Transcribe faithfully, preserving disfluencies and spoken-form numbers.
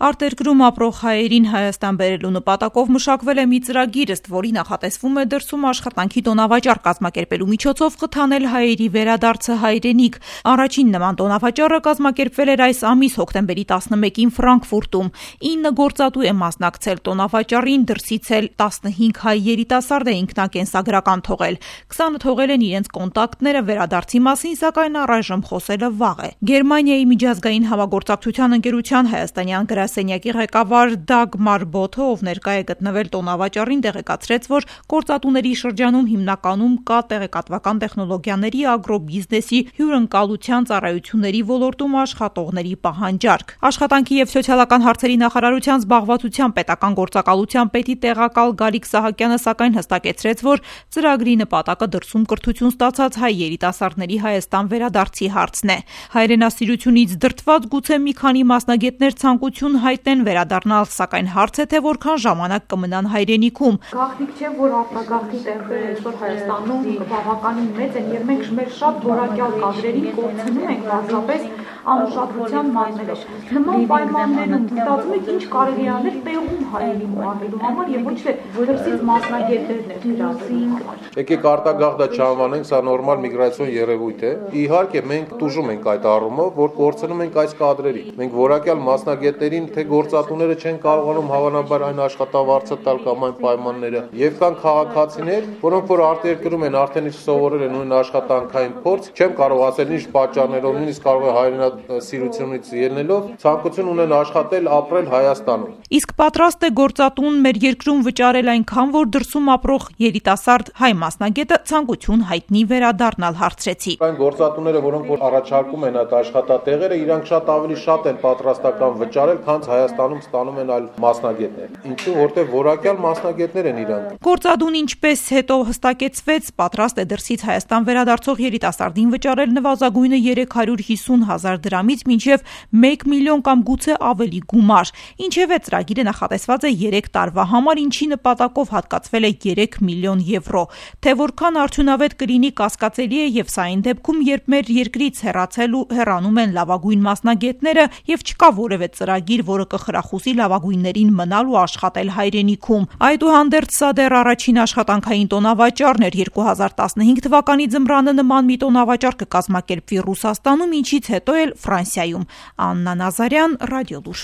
Արտերկրում ապրող հայերին Հայաստան բերելու նպատակով մշակվել է մի ծրագիր, ըստ որի նախատեսվում է դրսում աշխատանքի տոնավաճառ կազմակերպելու միջոցով խթանել հայերի վերադարձը հայրենիք։ Առաջին նման տոնավաճառը կազմակերպվել էր այս ամիս հոկտեմբերի տասնմեկին Ֆրանկֆուրտում։ ինը գործատու է մասնակցել տոնավաճառին, դրսից էլ տասնհինգ հայ երիտասարդ է ինքնակենսագրական թողել։ քսանը թողել են իրենց կոնտակտները, վերադարձի մասին սակայն առայժմ խոսելը վաղ է։ Գերմանիայի միջազգային համագործակցության ընկերության հայաստանյան գրասենյակի ղեկավար Դագմար Բոթը, ով ներկա է գտնվել տոնավաճառին, տեղեկացրեց, որ գործատուների շրջանում հիմնականում կա տեղեկատվական տեխնոլոգիաների, ագրոբիզնեսի, հյուրընկալության ծառայությունների ոլորտում աշխատողների պահանջարկ։ Աշխատանքի և սոցիալական հարցերի նախարարության զբաղվածության պետական գործակալության պետի տեղակալ Գալիկ Սահակյանը սակայն հստակեցրեց, որ ծրագրի նպատակը դրսում կրթություն ստացած հայ երիտասարդների Հայաստան վերադարձի հարցն է։ Հայրենասիրությունից դրդված գուցե մի քանի մասնագետներ ցանկություն հայտնեն վերադառնալ, սակայն հարց է, թե որքան ժամանակ կմնան հայրենիքում։ Գաղտնիք չէ, որ արտագաղթի տեղերը այսօր Հայաստանում բավականին մեծ են, եւ մենք մեր շատ որակյալ կադրերին կորցնում ենք պարզապես անուշադրության մատնելով։ Նման պայմաններում մտածում եք ինչ կարելի անել տեղում հայերին մահելու համար եւ ոչ թե դրսից մասնագետներն դրացինք։ Եկեք արտագաղթը չանվանենք, սա նորմալ միգրացիոն երևույթ է։ Իհարկե մենք տուժում ենք այդ առումով, որ կորցնում ենք այս կադրերին։ Մենք որակյալ մասնագետներին, թե գործատուները չեն կարողանում հավանաբար այն աշխատավարձը տալ կամ այն պայմանները, եւ կան քաղաքացիներ, որոնք որ արտերկրում են, արդեն իսկ սովորել են ունեն աշխատանքային փորձ, չեմ կարող ասել ինչ պատճառներով, նույնիսկ կարող է հայրենասիրությունից ելնելով, ցանկություն ունեն աշխատել, ապրել Հայաստանում։ Իսկ պատրաստ է գործատուն մեր երկրում վճարել այնքան, որ դրսում ապրող երիտասարդ հայ մասնագետը ցանկություն հայտնի վերադառնալ, հարցրեցի։ Այն գործատուները, որոնք որ առաջարկում են այդ աշխատատեղերը, իրանք շատ ավելի շատ են պատրաստական վճարել, քան Հայաստանում ստանում են այլ մասնագետներ։ Ինչու, որտեղ որակյալ մասնագետներ են իրանք։ Գործադուն ինչպես հետո հստակեցվեց, պատրաստ է դրսից Հայաստան վերադարձող երիտասարդին վճարել նվազագույնը երեք հարյուր հիսուն հազար դրամից մինչև մեկ միլիոն կամ գուցե ավելի գումար։ Ինչևէ ծրագիրը նախատեսված է երեք տարվա համար, ինչի նպատակով հատկացվել է երեք միլիոն եվրո։ Թե որքան արդյունավետ կլինի, կասկածելի է, եւ սա այն դեպքում, երբ մեր երկրից հեռացել ու հեռանում են լավագույն մասնագետները եւ չկա որևէ ծրագիր, որը կխրախուսի լավագույններին մնալ ու աշխատել հայրենիքում։ Այդուհանդերձ սա դեռ առաջին աշխատանքային տոնավաճառն էր։ երկու հազար տասնհինգ թվականի ձմռանը նման մի տոնավաճառ կկազմակերպվի Ռուսաստանում, ինչից հետո էլ Ֆրանսիայում։ Աննա Նազարյան, Ռադիոլուր։